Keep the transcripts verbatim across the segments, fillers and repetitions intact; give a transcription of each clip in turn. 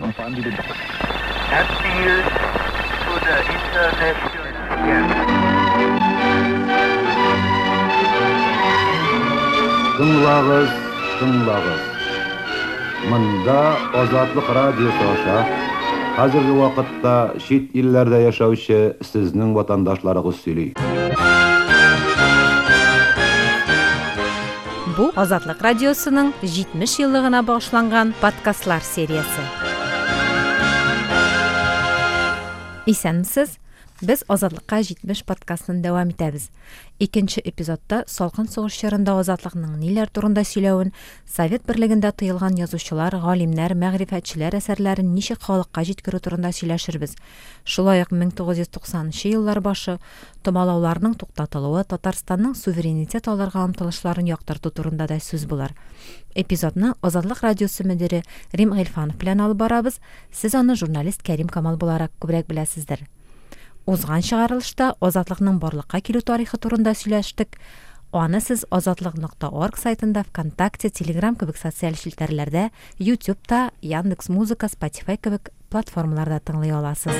Appeal to the international scam. Тыңлагыз, тыңлагыз. Монда Азатлык радиосы аша хәзерге вакытта чит илләрдә яшәүче сезнең ватандашларыгыз сөйли. Бу Азатлык радиосының җитмеш еллыгына багышланган подкастлар сериясе. Исәнмесез. Без Азатлыкка җитмеш подкастын дәвам итәбез. Икенче эпизодта салкын сугыш чорында Азатлыкның ниләр турында сөйләвен, Совет берлегендә тыелган язучылар, галимнәр, мәгърифәтчеләр әсәрләрен ничек халыкка җиткерү турында сөйләшербез. Шулай ук мең тугыз йөз туксанынчы еллар башы томалауларның туктатылуы, Татарстанның суверенитет алырга омтылышларын яктырту турында да сүз булыр. Эпизодны Азатлык радиосы мөдире Рим Гыйльфанов белән алып барабыз. Сез аны журналист Кәрим Камал буларак күбрәк беләсездер. Узган чыгарылышта Азатлыкның барлыкка килү тарихы турында сөйләштек. Аны сез азатлык нокта орг сайтында, ВКонтакте, Телеграм кебек социаль челтәрләрдә, YouTube'та, Яндекс Музыка, Spotify кебек платформаларда тыңлый аласыз.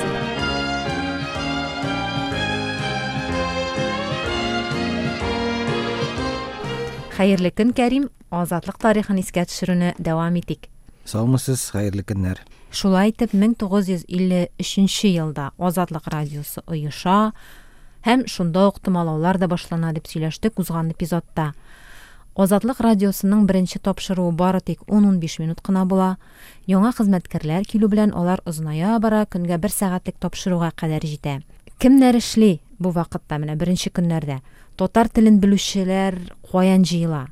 Хәерле көн, Кәрим. Азатлык тарихын искә төшерүне дәвам итик. Саумысыз, хәерле көннәр. Шулай итеп, мең тугыз йөз илле өченче елда Азатлык радиосы оеша һәм шунда ук томалаулар да башлана дип сөйләштек узган эпизодта. Азатлык радиосының беренче тапшыруы бары тик ун-унбиш минут кына була. Яңа хезмәткәрләр килү белән алар озыная бара, көнгә бер сәгатьлек тапшыруга кадәр җитә. Кемнәр эшли бу вакытта, менә беренче көннәрдә? Татар телен белүчеләр каян җыела?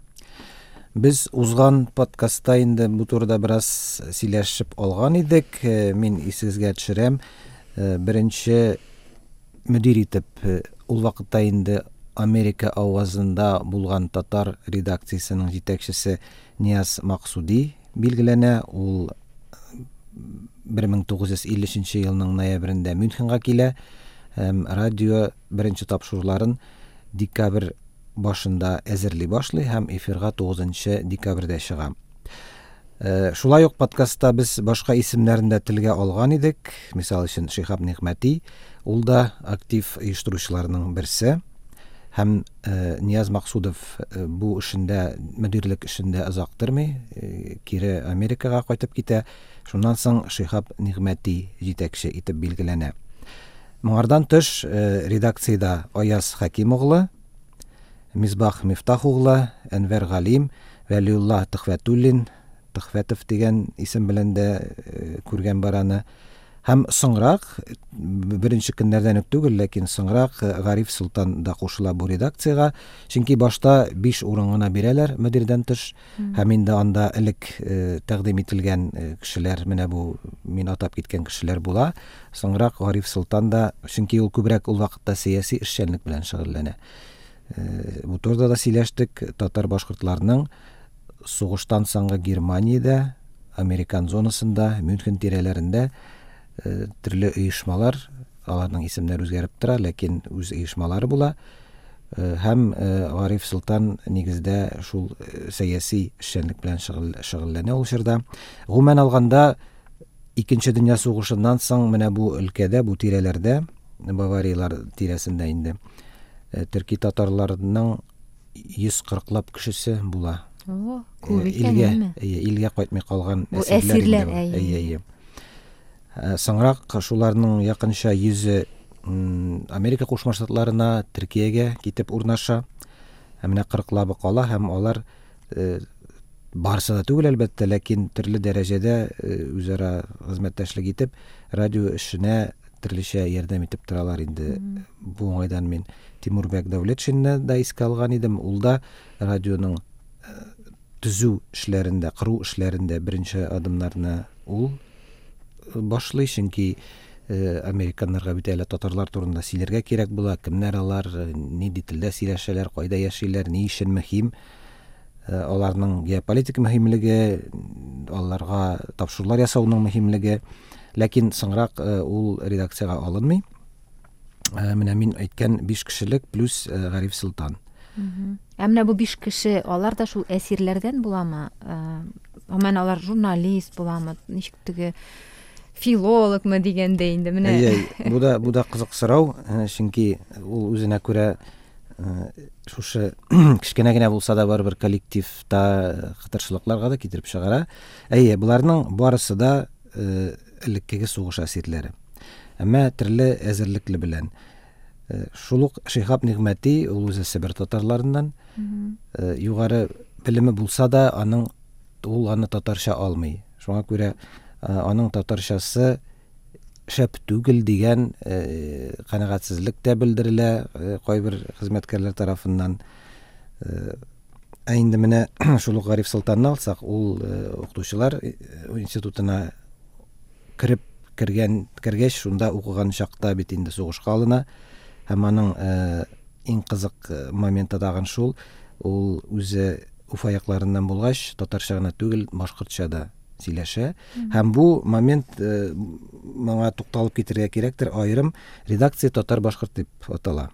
Без узган подкастта инде бу турыда бераз сөйләшеп алган идек. Э, мин исегезгә төшерәм. Э, беренче мөдир итеп, э, ул вакытта инде Америка авазында булган татар редакциясенең җитәкчесе Нияз Максуди билгеләнә. Ул бер мең тугыз йөз илле өченче елның ноябрендә Мюнхенга килә һәм радио беренче тапшыруларын декабрь башында әзерли башлый һәм эфирга тугызынчы декабрьдә чыга. Э, шулай ук подкастта без башка исемнәрен дә телгә алган идек. Мисал өчен Шиһаб Нигъмәти, ул да актив оештыручыларның берсе. Һәм, э, Нияз Максудов, э, бу эшендә, мөдирлек эшендә озак тормый, э, кире Америкага кайтып китә. Шуннан соң Шиһаб Нигъмәти җитәкче итеп билгеләнә. Моңардан тыш, э, редакциядә Аяз Хәким углы, Мисбах Мифтах углы, Әнвәр Галим, Вәлиулла Төхвәтуллин, Төхвәтов дигән исем белән дә, э, күргән бар аны. Һәм соңрак, беренче көннәрдән үк түгел, ләкин соңрак, э, Гариф Солтан да кушыла бу редакциягә. Чөнки башта биш урын гына бирәләр мөдирдән тыш. Мм. Һәм инде анда элек, э, тәкъдим ителгән, э, кешеләр, менә бу мин атап киткән кешеләр була. Соңрак Гариф Солтан да, чөнки ул күбрәк ул вакытта сәяси эшчәнлек белән шөгыльләнә. Э, бу турыда да сөйләштек. Татар башкортларының сугыштан соңгы Германиядә, Американ зонасында, Мюнхен тирәләрендә, э, төрле оешмалар, аларның исемнәре үзгәреп тора, ләкин үз оешмалары була. Э, һәм, э, Гариф Солтан нигездә шул, э, сәяси эшчәнлек белән шөгыль-, шөгыльләнә ул чорда. Гомумән алганда, Икенче дөнья сугышыннан соң менә бу өлкәдә, бу тирәләрдә, Бавариялар тирәсендә инде, э, төрки татарларының йөз кырыклап кешесе була. О, күп Э, икән, илгә, әйме? Әйе, илгә кайтмый калган Бу әсирләр инде әсирләр, бу. әйе. Әйе, әйе. Э, соңрак шуларның якынча йөзе, м, Америка Кушма Штатларына, Төркиягә китеп урнаша. Һәм менә кырыклабы кала һәм алар, э, барысы да түгел әлбәттә, ләкин төрле дәрәҗәдә, э, үзара хезмәттәшлек итеп, радио эшенә төрлечә ярдәм итеп торалар инде. Мгм. Бу уңайдан мин Тимурбәк Дәүләтшинны да искә алган идем. Ул да радионың, э, төзү эшләрендә, кору эшләрендә беренче адымнарны ул башлый, чөнки, э, американнарга бит әле татарлар турында сөйләргә кирәк була, кемнәр алар, нинди телдә сөйләшәләр, кайда яшиләр, ни өчен мөһим. Э, аларның геополитик мөһимлеге, аларга тапшырулар ясауның мөһимлеге. Ләкин соңрак, э, ул редакциягә алынмый. Э, менә мин әйткән биш кешелек плюс, э, Гариф Солтан. Мгм. Ә менә бу биш кеше, алар да шул әсирләрдән буламы? Э, гомумән алар журналист буламы? Ничек теге Филологмы дигәндә инде менә. Әйе, бу да бу да кызык сорау, чөнки ул үзенә күрә шушы кечкенә генә булса да барыбер коллективта кытыршылыкларга да китереп чыгара. Әйе, боларның барысы да элеккеге сугыш әсирләре. Әмма төрле әзерлекле белән. Шул ук Шиһаб Нигъмәти, ул үзе Себер татарларыннан, югары белеме булса да, аның ул аны татарча алмый. Шуңа күрә аның татарчасы шәп түгел дигән канәгатьсезлек тә белдерелә кайбер хезмәткәрләр тарафыннан. Ә инде менә шул ук Гариф Солтанны алсак, ул укытучылар институтына кереп кергән кергәч, шунда укыган чакта бит инде сугышка алына. Һәм аның иң кызык моменты тагын шул, ул үзе Уфа якларыннан булгач, татарча гына түгел, башкортча да сөйләшә. Һәм бу момент моңа тукталып китергә кирәктер, аерым редакция татар-башкорт дип атала.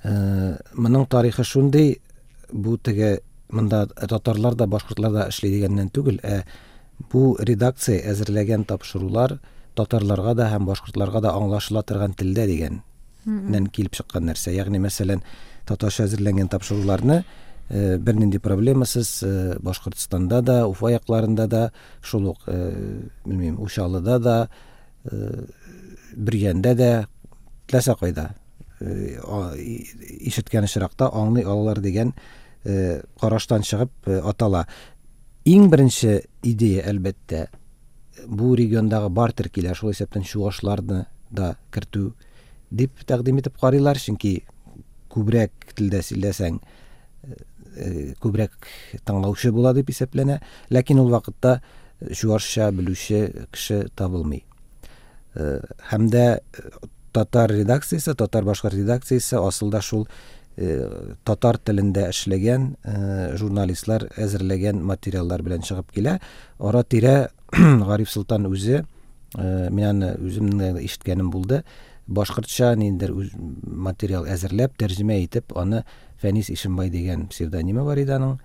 Моның тарихы шундый, бу теге монда татарлар да, башкортлар да эшли дигәннән түгел, ә бу редакция әзерләгән тапшырулар татарларга да һәм башкортларга да аңлашыла торган телдә дигәннән килеп чыккан нәрсә. Ягъни, мәсәлән, татарча әзерләнгән тапшыруларны бернинди проблемасыз Башкортстанда да, Уфа якларында да, шул ук, белмим, Учалыда да, Бөрйәндә дә, теләсә кайда ишеткән очракта аңлый алалар дигән караштан чыгып атала. Иң беренче идея, әлбәттә, бу региондагы бар төркиләр, шул исәптән чуашларны да кертү дип тәкъдим итеп карыйлар, чөнки күбрәк телдә сөйләсәң, күбрәк тыңлаучы була дип исәпләнә. Ләкин ул вакытта чуашча белүче кеше табылмый. Һәм дә татар редакциясе, татар-башкорт редакциясе асылда шул татар телендә эшләгән журналистлар әзерләгән материаллар белән чыгып килә. Ара-тирә Гариф Солтан үзе, мин аны үземнең ишеткәнем булды, башкортча ниндидер материал әзерләп, тәрҗемә итеп, аны Фәнис Ишембай дигән псевдонимы бар иде аның.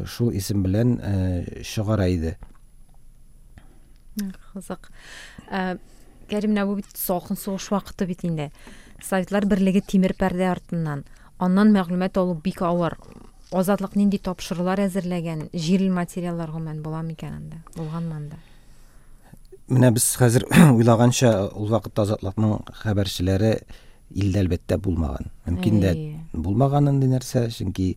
Шул исем белән чыгара иде. Кызык. Кәрим, менә бу бит салкын сугыш вакыты бит инде. Советлар берлеге тимер пәрдә артыннан. Аннан мәгълүмат алу бик авыр. Азатлык нинди тапшырулар әзерләгән, җирле материаллар гомумән була микән анда? Булганмы анда? Менә без хәзер уйлаганча, ул вакытта Азатлыкның хәбәрчеләре илдә әлбәттә булмаган. Мөмкин дә булмаган андый нәрсә, чөнки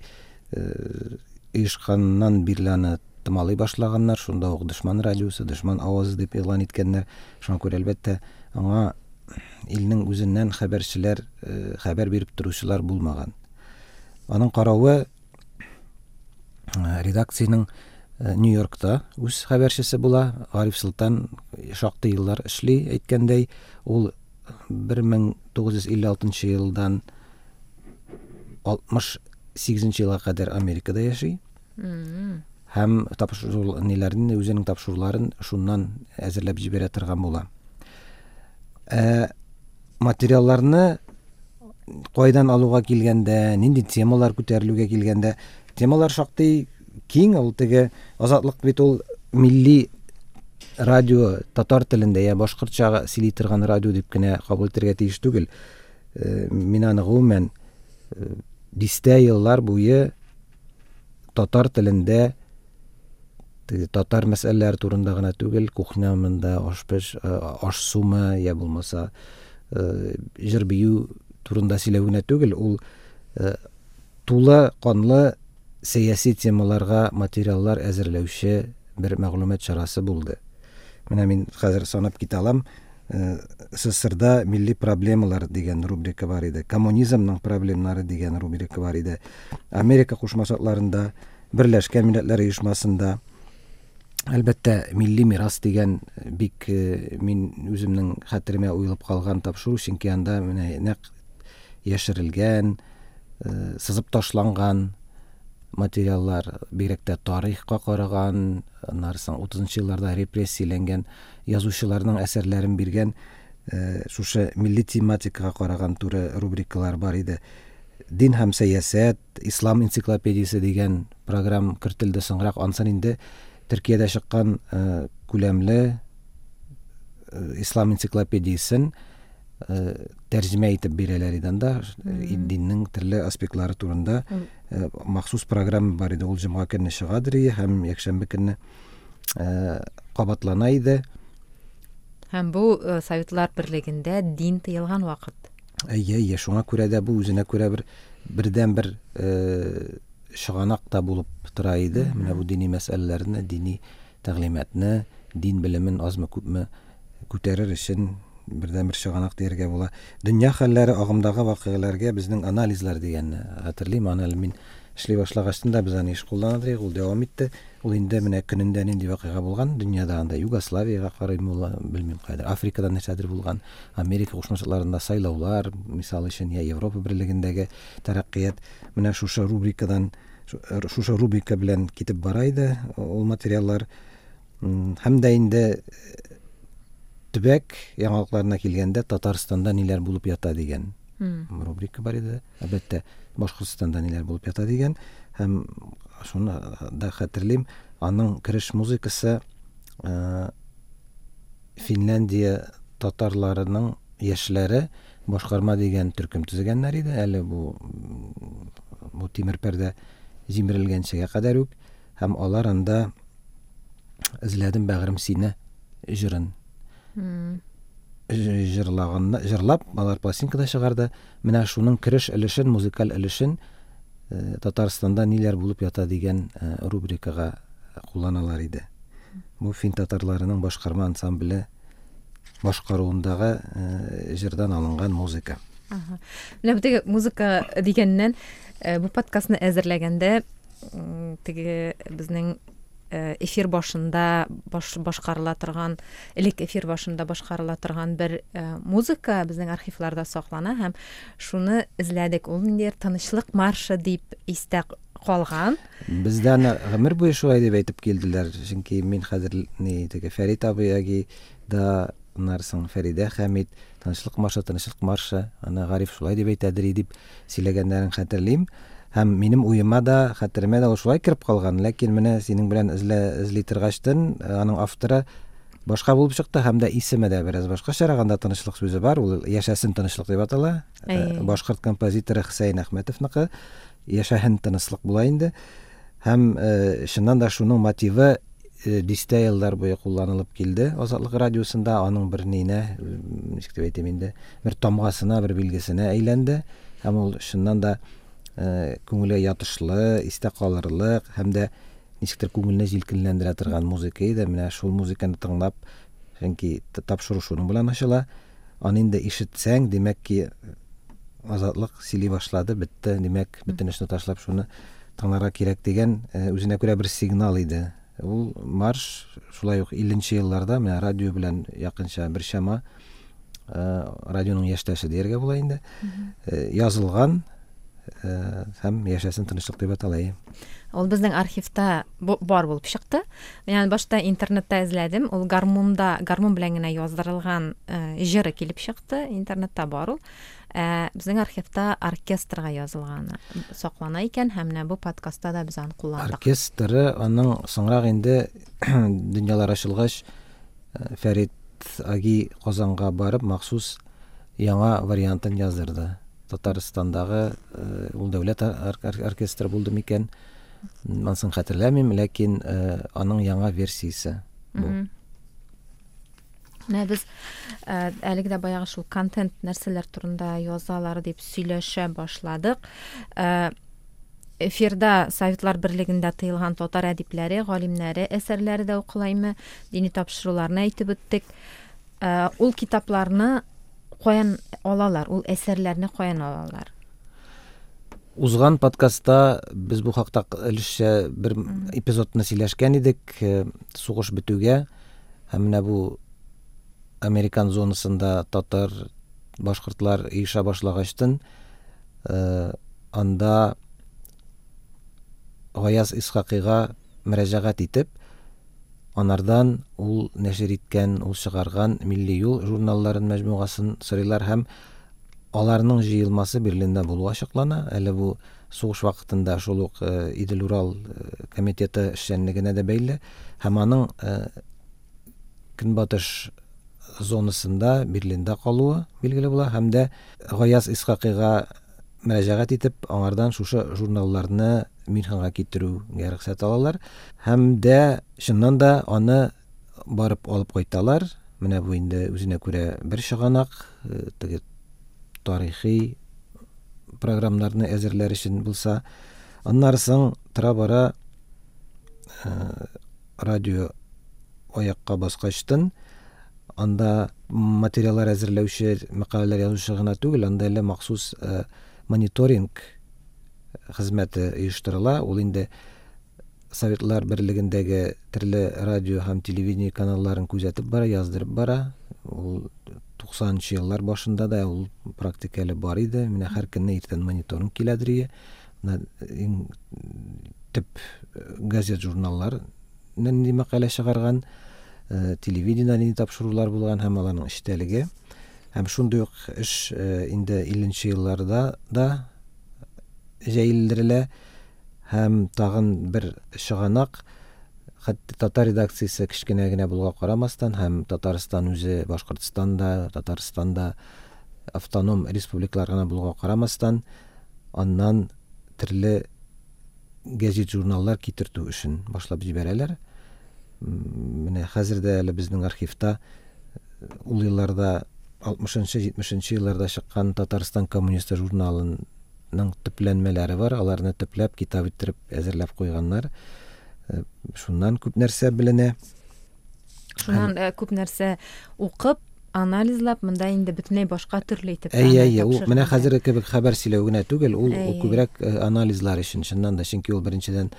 оешканнан бирле аны томалый башлаганнар, шунда ук дошман радиосы, дошман авазы дип игълан иткәннәр. Шуңа күрә әлбәттә аңа илнең үзеннән хәбәрчеләр, хәбәр биреп торучылар булмаган. Аның каравы редакциянең Нью-Йоркта үз хәбәрчесе була. Гариф Солтан шактый еллар эшли, әйткәндәй, ул бер мең тугыз йөз илле алтынчы елдан алтмыш сигезенче елга кадәр Америкада яши. Һәм тапшыру ниләрен, үзенең тапшыруларын шуннан әзерләп җибәрә торган була. Ә материалларны кайдан алуга килгәндә, нинди темалар күтәрелүгә килгәндә, темалар шактый киң. Ул теге Азатлык бит ул милли радио, татар телендә я башкортча сөйли торган радио дип кенә кабул итәргә тиеш түгел. Мин аны гомумән дистә еллар буе татар телендә татар мәсьәләләре турында гына түгел, кухня монда аш-пеш, аш-сумы я булмаса җыр-бию турында сөйләү генә түгел, ул тулы канлы сәяси темаларга материаллар әзерләүче бер мәгълүмат чарасы булды. Менә мин хәзер санап китә алам. СССРда милли проблемалар дигән рубрика бар иде, коммунизмның проблемнары дигән рубрика бар иде. Америка Кушма Штатларында, Берләшкән Милләтләр Оешмасында, әлбәттә, милли мирас дигән бик мин үземнең хәтеремә уелып калган тапшыру, чөнки анда менә нәкъ яшерелгән, сызып ташланган материаллар, бигрәк тә тарихка караган, аннары соң утызынчы елларда репрессияләнгән язучыларның әсәрләрен биргән шушы милли тематикага караган туры рубрикалар бар иде. Дин һәм сәясәт, Ислам энциклопедиясе дигән программ кертелде соңрак. Ансын инде Төркиядә чыккан күләмле Ислам энциклопедиясен тәрҗемә итеп бирәләр иде анда. Диннең төрле аспектлары турында махсус программа бар иде. Ул җомга көнне чыгадыр һәм якшәмбе көнне кабатлана иде. Һәм бу Советлар Берлегендә дин тыелган вакыт. Әйе, әйе, шуңа күрә дә бу үзенә күрә бер бердән бер чыганак та булып тора иде. Менә бу дини мәсьәләләрне, дини тәгълиматны, дин белемен азмы-күпме күтәрер өчен бердән бер чыганак дияргә була. Дөнья хәлләре, агымдагы вакыйгаларга безнең анализлар дигәнне хәтерлим. Аны әле мин эшли башлагачтан да без аны еш кулланадык, ул дәвам итте. Ул инде менә көнендә нинди вакыйга булган дөньяда, анда Югославиягә карыйм, ул белмим кайда, Африкада нәрсәдер булган, Америка Кушма Штатларында сайлаулар, мисал өчен, я Европа Берлегендәге тәрәккыят. Менә шушы рубрикадан, шушы рубрика белән китеп бара иде ул материаллар. Һәм дә инде төбәк яңалыкларына килгәндә Татарстанда ниләр булып ята дигән рубрика бар иде. Әлбәттә, Башкортстанда ниләр булып ята дигән. Һәм шуны да хәтерлим, аның кереш музыкасы Финляндия татарларының яшьләре башкарма дигән төркем төзегәннәр иде. Әле бу бу тимер пәрдә җимерелгәнчегә кадәр үк. Һәм алар анда Эзләдем бәгырем сине җырын җырлаган, җырлап, алар пластинкада чыгарды. Менә шуның кереш өлешен, музыкаль өлешен Татарстанда ниләр булып ята дигән рубрикага кулланалар иде. Бу фин татарларының башкарма ансамбле башкаруындагы җырдан алынган музыка. Ага. Менә бу теге музыка дигәннән, бу подкастны әзерләгәндә теге безнең эфир башында баш, башкарыла торган, элек эфир башында башкарыла торган бер музыка безнең архивларда саклана һәм шуны эзләдек. Ул ниндидер тынычлык маршы дип истә калган. Бездә аны гомер буе шулай дип әйтеп килделәр. Чөнки мин хәзер ни теге Фәрит абый әги да, аннан Фәридә Хәмид, тынычлык маршы, тынычлык маршы, аны Гариф шулай дип әйтәдер дип сөйләгәннәрен хәтерлим. Һәм минем уема да, хәтеремә дә ул шулай кереп калган. Ләкин менә синең белән эзлә, эзли торгачтын, аның авторы башка булып чыкты һәм дә исеме дә бераз башкачарак. Анда тынычлык сүзе бар, ул Яшәсен тынычлык дип атала. Башкорт композиторы Хөсәен Әхмәтовныкы. Яшәһен тынычлык була инде. Һәм чыннан да шуның мотивы дистә еллар буе кулланылып килде Азатлык радиосында. Аның бер нинә, ничек дип әйтим инде, бер тамгасына, бер билгесенә әйләнде. Һәм ул чыннан да күңелгә ятышлы, истә калырлык һәм дә ничектер күңелне җилкенләндерә торган музыка иде. Менә шул музыканы тыңлап, чөнки тапшыру шуның белән ачыла. Аны инде ишетсәң, димәк ки, Азатлык сөйли башлады, бетте, димәк, бөтен эшне ташлап шуны тыңларга кирәк дигән үзенә күрә бер сигнал иде. Ул марш шулай ук илленче елларда менә радио белән якынча бер чама, радионың яшьтәше дияргә була инде, язылган һәм Яшәсен тынычлык дип атала. Ул безнең архивта бар булып чыкты. Ягъни башта интернетта эзләдем, ул гармунда, гармун белән генә яздырылган җыры килеп чыкты, интернетта бар ул. Безнең архивта оркестрга язылганы саклана икән һәм менә бу подкастта да без аны кулландык. Оркестры аның соңрак инде дөньялар ачылгач Фәрит Аги Казанга барып махсус яңа вариантын яздырды. Татарстандагы ул дәүләт оркестры булды микән, Монысын хәтерләмим, ләкин аның яңа версиясе бу. Менә без әлеге дә баягы шул контент нәрсәләр турында язалар дип сөйләшә башладык. Эфирда Советлар Берлегендә тыелган татар әдипләре, галимнәре әсәрләре дә укылаймы, дини тапшыруларны әйтеп үттек. Ул китапларны каян алалар, ул әсәрләрне каян алалар? Узган подкастта без бу хакта өлешчә бер эпизодны сөйләшкән идек. Сугыш бетүгә һәм менә бу Американ зонасында татар, башкортлар иша башлагачтын, анда Гаяз Исхакыйга мөрәҗәгать итеп, анардан ул нәшер иткән, ул чыгарган Милли юл журналларын мәҗмугасын сорыйлар һәм аларның җыелмасы Берлинда булуы ачыклана. Әле бу сугыш вакытында шул ук Идел-Урал комитеты эшчәнлегенә дә бәйле һәм аның Көнбатыш зонасында Берлинда калуы билгеле була һәм дә Гаяз Исхакыйга мөрәҗәгать итеп, аңардан шушы журналларны Мюнхенга китерүгә рөхсәт алалар һәм дә чыннан да аны барып алып кайталар. Менә бу инде үзенә күрә бер чыганак, теге тарихи программаларны әзерләр өчен булса. Аннары соң тора-бара радио аякка баскачтын анда материаллар әзерләүче, мәкаләләр язучы гына түгел, анда әле махсус мониторинг хезмәте оештырыла. Ул инде Советлар Берлегендәге төрле радио һәм телевидение каналларын күзәтеп бара, яздырып бара. Ул туксанынчы еллар башында да ул практика әле бар иде. Менә һәр көнне иртән мониторинг киләдер. Менә иң төп газет, журналлар нинди мәкалә чыгарган, телевидение нинди тапшырулар булган һәм аларның эчтәлеге. Һәм шундый ук эш инде илленче елларда да җәелдерелә. Һәм тагын бер чыганак, хәтта татар редакциясе кечкенә генә булуга карамастан, һәм Татарстан үзе Башкортстанда, Татарстанда автоном республикалар гына булуга карамастан, аннан төрле газет, журналлар китертү эшен башлап җибәрәләр. Менә хәзер дә әле безнең архивта ул елларда алтмышынчы, җитмешенче елларда чыккан Татарстан коммунисты журналының төпләнмәләре бар. Аларны төпләп, китап иттереп әзерләп куйганнар. Шуннан күп нәрсә беленә. Шуннан күп нәрсә укып, анализлап, монда инде бөтенләй башка төрле итеп. Әйе, әйе, ул менә хәзерге кебек хәбәр сөйләү генә түгел, ул күбрәк анализлар өчен, чыннан да, чөнки ул беренчедән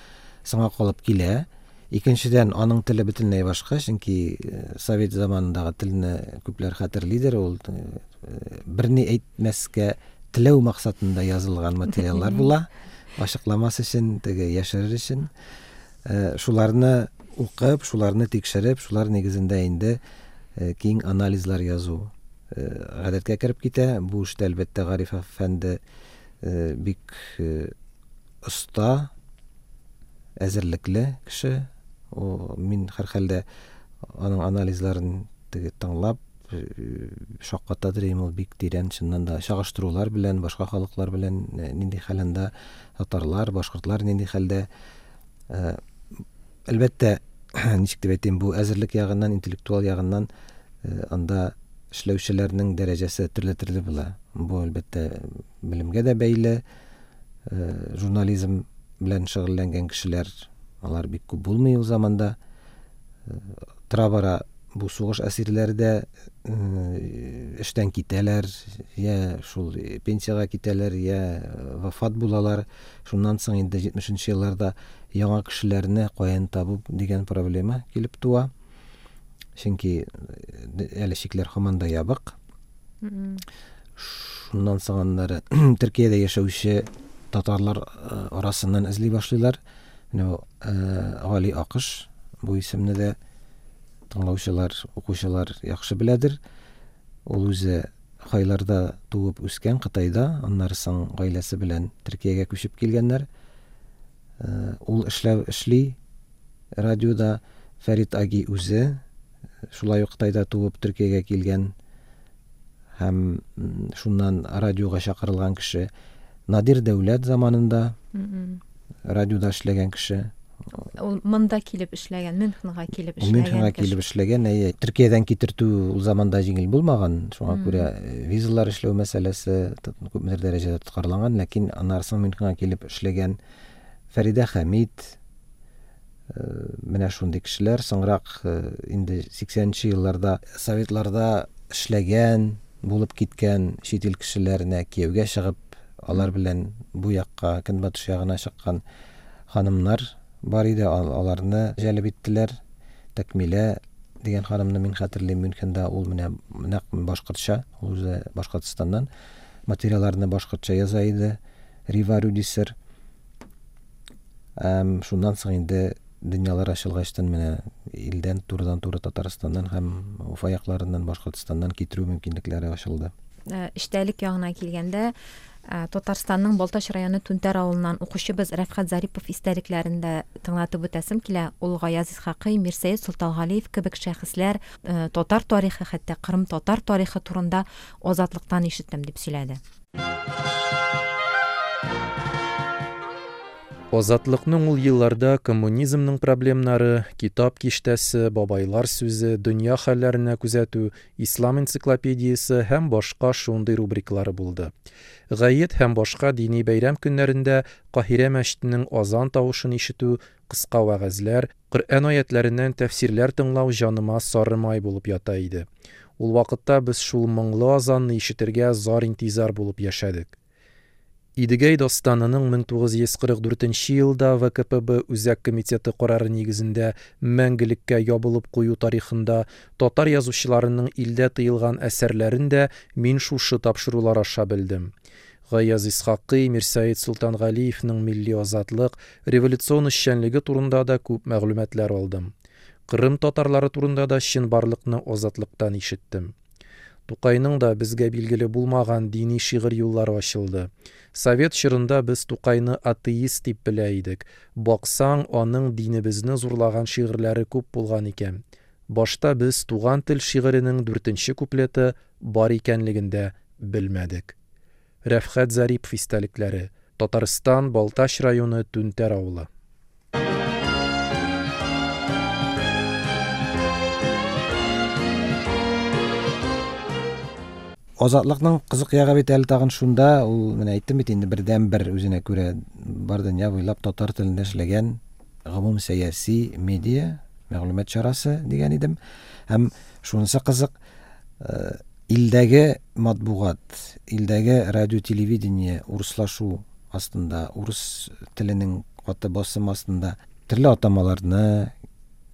соңга калып килә. Икенчедән, аның теле бөтенләй башка, чөнки совет заманындагы телне күпләр хәтерлидер, ул берни әйтмәскә теләү максатында язылган материаллар була, ачыкламас өчен, теге яшерер өчен. Шуларны укып, шуларны тикшереп, шулар нигезендә инде киң анализлар язу гадәткә кереп китә. Бу эштә әлбәттә Гариф әфәнде бик оста, әзерлекле кеше. О, мин һәрхәлдә аның анализларын теге тыңлап шаккатадыр идем. Ул бик тирән, чыннан да чагыштырулар белән, башка халыклар белән нинди хәлендә татарлар, башкортлар нинди хәлдә. Әлбәттә, ничек дип әйтим, бу әзерлек ягыннан, интеллектуал ягыннан анда эшләүчеләрнең дәрәҗәсе төрле-төрле була. Бу әлбәттә белемгә дә бәйле. Журнализм белән шөгыльләнгән кешеләр, алар бик күп булмый ул заманда. Тора-бара бу сугыш әсирләре дә эштән китәләр, я шул пенсиягә китәләр, я вафат булалар. Шуннан соң инде җитмешенче елларда яңа кешеләрне каян табу дигән проблема килеп туа. Чөнки әле чикләр һаман да ябык. Шуннан соң аннары Төркиядә яшәүче татарлар арасыннан эзли башлыйлар. Менә Гали Акыш, бу исемне дә тыңлаучылар, укучылар яхшы беләдер. Ул үзе Хайларда туып үскән, Кытайда, аннары соң гаиләсе белән Төркиягә күчеп килгәннәр. Ул эшләп эшли радиода. Фәрит Аги үзе шулай ук Кытайда туып Төркиягә килгән һәм шуннан радиога чакырылган кеше. Надир Дәүләт заманында радиода эшләгән кеше. Ул монда килеп эшләгән, Мюнхенга килеп эшләгән. Мюнхенга килеп эшләгән, әйе. Төркиядән китертү ул заманда җиңел булмаган, шуңа күрә визалар эшләү мәсьәләсе күпмедер дәрәҗәдә тоткарланган, ләкин аннары соң Мюнхенга килеп эшләгән Фәридә Хәмид, менә шундый кешеләр. Соңрак инде сиксәненче елларда советларда эшләгән, булып киткән чит ил кешеләренә кияүгә чыгып, алар белән бу якка, көнбатыш ягына чыккан ханымнар бар иде, аларны җәлеп иттеләр. Тәкмилә дигән ханымны мин хәтерлим, Мюнхенда ул менә нәкъ башкортча, ул үзе Башкортстаннан, материалларны башкортча яза иде. Рива Рюдисер. Һәм шуннан соң инде дөньялар ачылгачтан менә илдән турыдан-туры Татарстаннан һәм Уфа якларыннан, Башкортстаннан китерү мөмкинлекләре ачылды. Эчтәлек ягына килгәндә, Татарстанның Балтач районы Түнтәр авылыннан укучыбыз Рәфхәт Зарипов истәлекләрен дә тыңлатып үтәсем килә. Ул Гаяз Исхакый, Мирсәет Солтангалиев кебек шәхесләр татар тарихы, хәтта Кырым татар тарихы турында Азатлыктан ишеттем дип сөйләде. Азатлыкның ул елларда коммунизмның проблемнары, китап киштәсе, бабайлар сүзе, дөнья хәлләренә күзәтү, ислам энциклопедиясе һәм башка шундый рубрикалары булды. Гает һәм башка дини бәйрәм көннәрендә Каһирә мәчетенең азан тавышын ишетү, кыска вәгазьләр, Коръән аятларыннан тәфсирләр тыңлау җаныма сары май булып ята иде. Ул вакытта без шул моңлы азанны ишетергә зар-интизар булып яшәдек. Идегәй дастанының мең тугыз йөз кырык дүртенче елда вэ ка пэ бэ Үзәк комитеты карары нигезендә мәңгелеккә ябылып кую тарихында татар язучыларының илдә тыелган әсәрләрен дә мин шушы тапшырулар аша белдем. Гаяз Исхакый, Мирсәет Солтангалиевның милли азатлык, революцион эшчәнлеге турында да күп мәгълүматлар алдым. Кырым татарлары турында да чынбарлыкны Азатлыктан ишеттем. Тукайның да безгә билгеле булмаган дини шигырь юллары ачылды. Совет чорында без Тукайны атеист дип белә идек. Баксаң, аның динебезне зурлаган шигырьләре күп булган икән. Башта без Туган тел шигыренең дүртенче куплеты бар икәнлеген дә белмәдек. Рәфхәт Зарипов истәлекләре. Татарстан, Балтач районы, Түнтәр авылы. Азатлыкның кызык ягы бит әле тагын шунда, ул менә әйттем бит инде, бердән-бер үзенә күрә бар дөнья буйлап татар телендә эшләгән гомум сәяси медиа, мәгълүмат чарасы дигән идем. Һәм шунысы кызык, илдәге матбугат, илдәге радио, телевидение урыслашу астында, урыс теленең каты басым астында төрле атамаларны,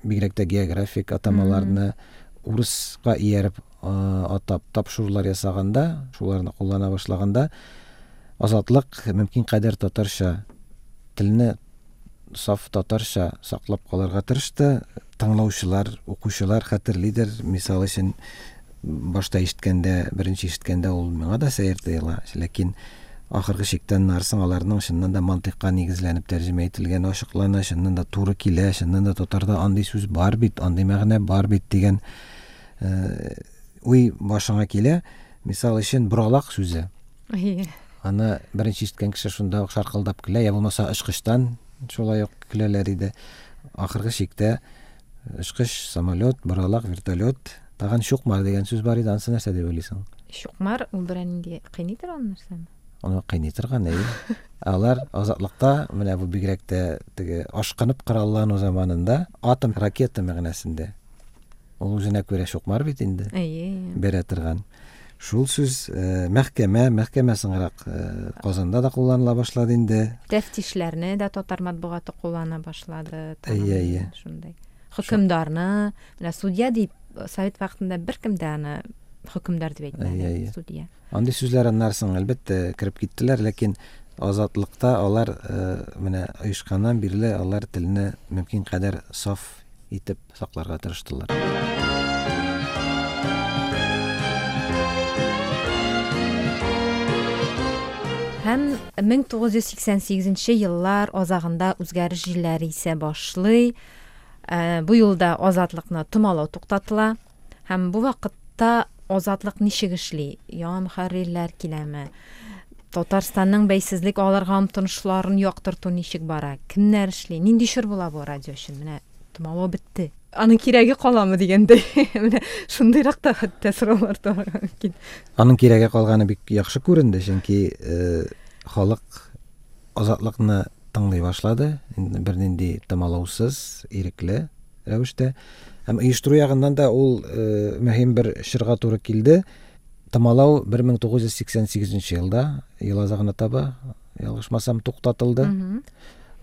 бигрәк тә географик атамаларны урыска ияреп атап тапшырулар ясаганда, шуларны куллана башлаганда, Азатлык мөмкин кадәр татарча телне саф татарча саклап калырга тырышты. Тыңлаучылар, укучылар хәтерлидер. Мисал өчен, башта ишеткәндә, беренче ишеткәндә ул миңа да сәер тоела, ләкин ахыргы чиктән нарсың аларның чыннан да мантыйкка нигезләнеп тәрҗемә ителгәне ачыклана, чыннан да туры килә, чыннан да татарда андый сүз бар бит, андый мәгънә бар бит дигән уй башыңа килә. Мисал өчен, боралак сүзе. Аны беренче ишеткән кеше шунда ук шаркылдап көлә, я булмаса очкычтан шулай ук көләләр иде. Ахыргы чиктә очкыч, самолет, боралак, вертолет, тагын чукмар дигән сүз бар иде. Анысы нәрсә дип уйлыйсың? Чукмар ул берәр нинди кыйный торган нәрсәме? Аны кыйный торган, әйе. Алар Азатлыкта, менә бу бигрәк тә теге ашкынып кораллану заманында атом ракета мәгънәсендә. Ул үзенә күрә чукмар бит инде. Әйе. Бәрә торган. Шул сүз мәхкәмә, мәхкәмә соңрак Казанда да кулланыла башлады инде. Тәфтишләрне дә татар матбугаты куллана башлады. Әйе, әйе. Шундай. Хөкемдарны, менә судья дип совет вакытында беркем дә аны хөкемдар дип әйтмәде, судья. Андый сүзләр аннан соң әлбәттә кереп киттеләр, ләкин Азатлыкта алар менә оешканнан бирле алар телне мөмкин кадәр саф итеп сакларга тырыштылар. Һәм мең тугыз йөз сиксән сигезенче еллар азагында үзгәреш җилләре исә башлый. Бу юлда Азатлыкны томалау туктатыла. Һәм бу вакытта Азатлык ничек эшли? Яңа мөхәррирләр киләме? Татарстанның бәйсезлек алырга омтылышларын яктырту ничек бара? Кемнәр эшли? Нинди чор була бу радио өчен? Менә томалау бетте. Аның кирәге каламы дигәндәй. Менә шундыйрак та хәтта сораулар туарга мөмкин. Аның кирәге калганы бик яхшы күренде, чөнки халык Азатлыкны тыңлый башлады, бернинди томалаусыз, ирекле рәвештә. Һәм оештыру ягыннан да ул мөһим бер чорга туры килде. Томалау бер мең тугыз йөз сиксән сигезенче елда, ел азагына таба, ялгышмасам, туктатылды.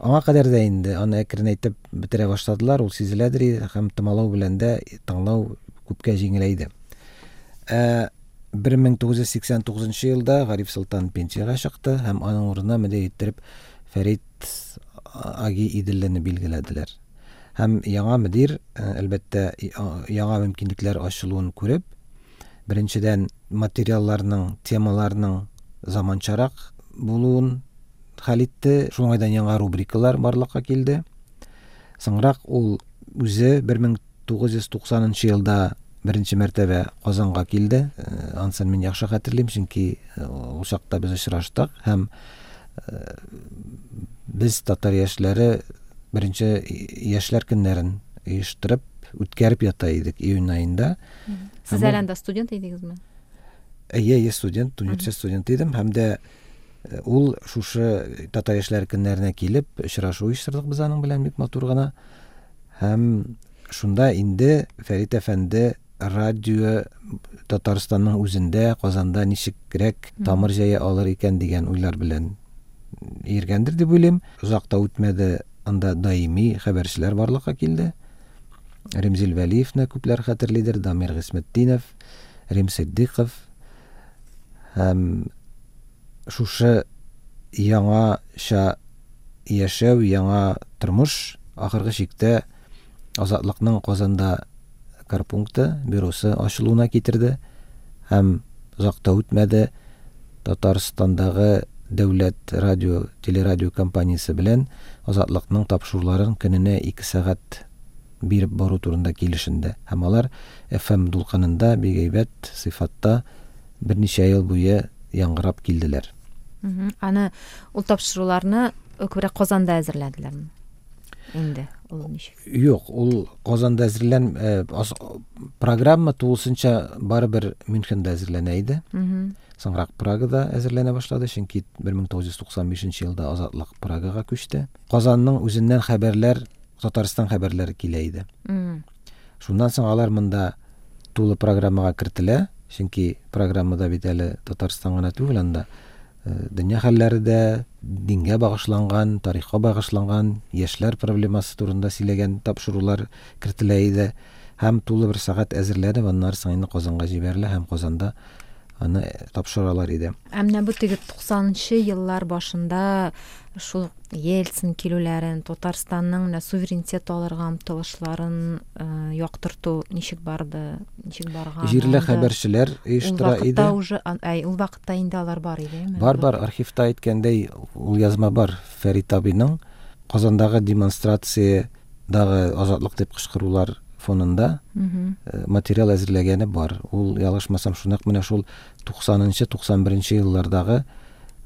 Аңа кадәр дә инде аны әкренәйтеп бетерә башладылар, ул сизеләдер, һәм томалау белән дә тыңлау күпкә җиңеләйде. Ә бер мең тугыз йөз сиксән тугызынчы елда Гариф Солтан пенсиягә чыкты һәм аның урынына мөдир иттереп Фәрит Аги Иделлене билгеләделәр. Һәм яңа мөдир, әлбәттә, яңа мөмкинлекләр ачылуын күреп, беренчедән материалларның, темаларның заманчарак булуын хәл итте. Шул уңайдан яңа рубрикалар барлыкка килде. Соңрак ул үзе бер мең тугыз йөз туксанынчы елда беренче мәртәбә Казанга килде. Анысын мин яхшы хәтерлим, чөнки ул чакта без очраштык һәм без татар яшьләре беренче яшьләр көннәрен оештырып үткәреп ята идек июнь аенда. Сез әле анда студент идегезме? Әйе, әйе, студент, университет студенты идем һәм дә ул шушы татар яшьләр көннәренә килеп очрашу оештырдык без аның белән бик матур гына. Һәм шунда инде Фәрит әфәнде радио Татарстанның үзендә, Казанда ничегрәк тамыр җәя алыр икән дигән уйлар белән йөргәндер дип уйлыйм. Озак та үтмәде, анда даими хәбәрчеләр барлыкка килде. Ремзил Вәлиевне күпләр хәтерлидер, Дамир Гыйсметдинов, Рим Сиддиков һәм шушы яңача яшәү, яңа тормыш ахыргы чиктә Азатлыкның Казанда корпункты, бюросы ачылуына китерде һәм озак та үтмәде, Татарстандагы дәүләт радио, телерадио компаниясе белән Азатлыкның тапшыруларын көненә ике сәгать биреп бару турында килешенде. Һәм алар эф эм дулкынында бик әйбәт сыйфатта берничә ел буе яңгырап килделәр. Аны ул тапшыруларны күбрәк Казанда әзерләделәрме? Инде ул ничек? Юк, ул Казанда әзерлән, программа тулысынча барыбер Мюнхенда әзерләнә иде. Соңрак Прагада әзерләнә башлады, чөнки бер мең тугыз йөз туксан бишенче елда Азатлык Прагага күчте. Казанның үзеннән хәбәрләр, Татарстан хәбәрләре килә иде. Шуннан соң алар монда тулы программага кертелә, чөнки программада бит әле Татарстан гына түгел, анда дөнья хәлләре дә, дингә багышланган, тарихка багышланган, яшьләр проблемасы турында сөйләгән тапшырулар кертелә иде. Һәм тулы бер сәгать әзерләнеп, аннары соң инде Казанга җибәрелә һәм Казанда аны тапшыралар иде. Ә менә бу теге туксанынчы еллар башында шул Ельцин килүләрен, Татарстанның менә суверенитет алырга омтылышларын яктырту ничек барды, ничек барган? Җирле хәбәрчеләр оештыра иде. Ул вакытта уже, әй, ул вакытта инде алар бар иде, әйме? Бар, бар, архивта әйткәндәй, ул язма бар. Фәрит абыйның Казандагы демонстрациядагы азатлык дип кычкырулар фонында материал әзерләгәне бар. Ул, ялгышмасам, шунак менә шул туксанынчы, туксан беренче еллардагы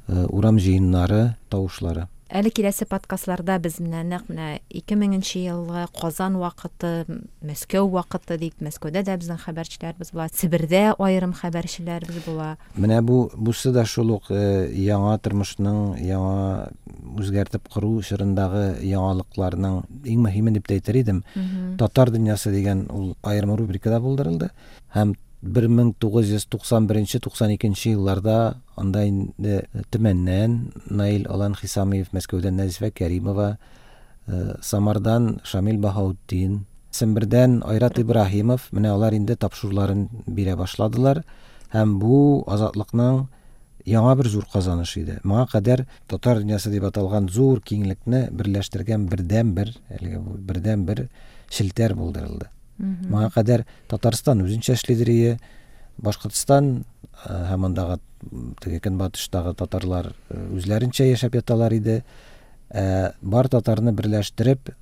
урам җыеннары тавышлары. Әле киләсе подкастларда без менә нәкъ менә ике меңенче елгы Казан вакыты, Мәскәү вакыты дип, Мәскәүдә дә безнең хәбәрчеләребез була, Себердә аерым хәбәрчеләребез була. Менә бу, бусы да шул ук яңа тормышның, яңа үзгәртеп кору чорындагы яңалыкларның иң мөһиме дип тә әйтер идем. Татар дөньясы дигән ул аерым рубрикада булдырылды һәм бер мең тугыз йөз туксан беренче, туксан икенче елларда анда инде Төмәннән Наил Алан Хисамиев, Мәскәүдән Нәзифә Кәримова, Самардан Шамил Баһаутдин, Сембердән Айрат Ибраһимов, менә алар инде тапшыруларын бирә башладылар һәм бу Азатлыкның яңа бер зур казаныш иде. Моңа кадәр татар дөньясы дип аталган зур киңлекне берләштергән бердән-бер, әлеге бу бердән-бер челтәр булдырылды. Моңа кадәр Татарстан үзенчә эшлидер иде, Башкортстан һәм андагы теге көнбатыштагы татарлар үзләренчә яшәп яталар иде. Ә бар татарны берләштереп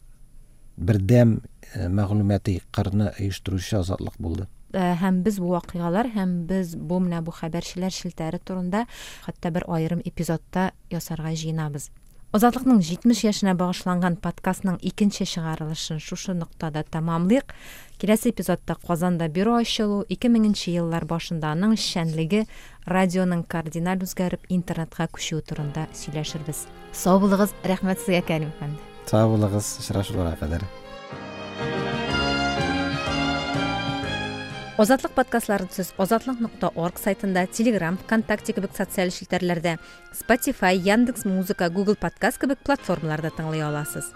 бердәм мәгълүмати кырны оештыручы Азатлык булды. Һәм без бу вакыйгалар, һәм без бу менә бу хәбәрчеләр челтәре турында хәтта бер аерым эпизодта ясарга җыенабыз. Азатлыкның җитмеш яшенә багышланган подкастның икенче чыгарылышын шушы ноктада тәмамлыйк. Киләсе эпизодта Казанда бюро ачылу, ике меңенче еллар башында аның эшчәнлеге, радионың кардиналь үзгәреп интернетка күчүе турында сөйләшербез. Сау булыгыз, рәхмәт сезгә, Кәрим әфәнде. Сау булыгыз, очрашуларга кадәр. Азатлык подкастларын сез азатлык нокта орг сайтында, Telegram, ВКонтакте кебек социаль челтәрләрдә, Spotify, Яндекс Музыка, Google Подкаст кебек платформаларда тыңлый аласыз.